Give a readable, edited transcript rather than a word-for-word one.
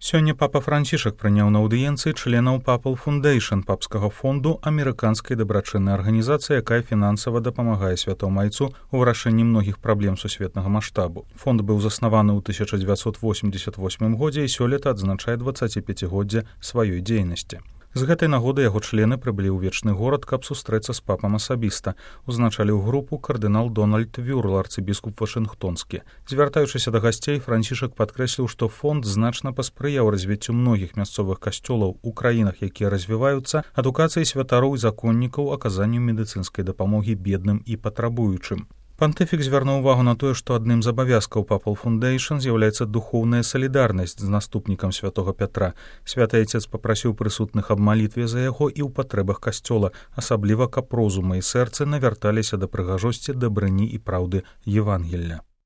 Сёння папа Францішак прыняў на аўдыенцыі членаў Papal Foundation папскага фонду амерыканскай дабрачыннай арганізацыі, якая фінансава дапамагае святому айцу ў вырашэнні многіх праблем сусветнага маштабу. Фонд быў заснаваны ў 1988 годзе і сёлета адзначае 25годдзе сваёй дзейнасці. З гэтай нагоды яго члены прыбылі ў вечны горад, каб сустрэцца з папам асабіста. Узначаліў групу кардынал Дональд Вюрл, арцыбіскуп вашынгтонскі. Звяртаючыся да гасцей, Францішак падкрэсліў, што фонд значна паспрыяў развіццю многіх мясцовых касцёлаў у краінах, якія развіваюцца, адукацыі святароў і законнікаў, аказанню медыцынскай дапамогі бедным і патрабуючым. Пантыфік звярнуў увагу на тое, што адным з абавязкаў Papal Foundation з'яўляецца духоўная салідарнасць з наступнікам святога Пятра. Святы айцец папрасіў прысутных аб малітве за яго і ў патрэбах касцёла, асабліва каб розума і сэрцы навярталіся да прыгажосці, дабрыні і праўды Евангелля.